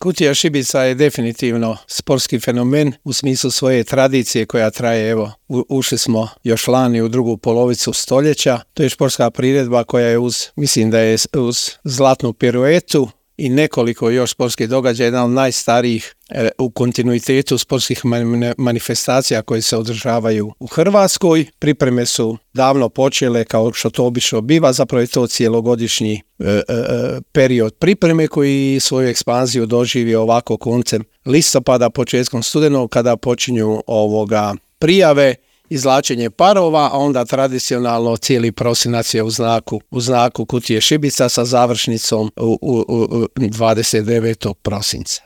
Kutija šibica je definitivno sportski fenomen u smislu svoje tradicije koja traje, evo, ušli smo još lani u drugu polovicu stoljeća. To je športska priredba koja je mislim da je uz zlatnu piruetu i nekoliko još sportskih događaja, jedan od najstarijih u kontinuitetu sportskih manifestacija koje se održavaju u Hrvatskoj. Pripreme su davno počele, kao što to obično biva, zapravo je to cijelogodišnji period pripreme koji svoju ekspanziju doživi ovako koncem listopada, početkom studenog, kada počinju prijave, izvlačenje parova, a onda tradicionalno cijeli prosinac je u znaku Kutije šibica sa završnicom u 29. prosinca.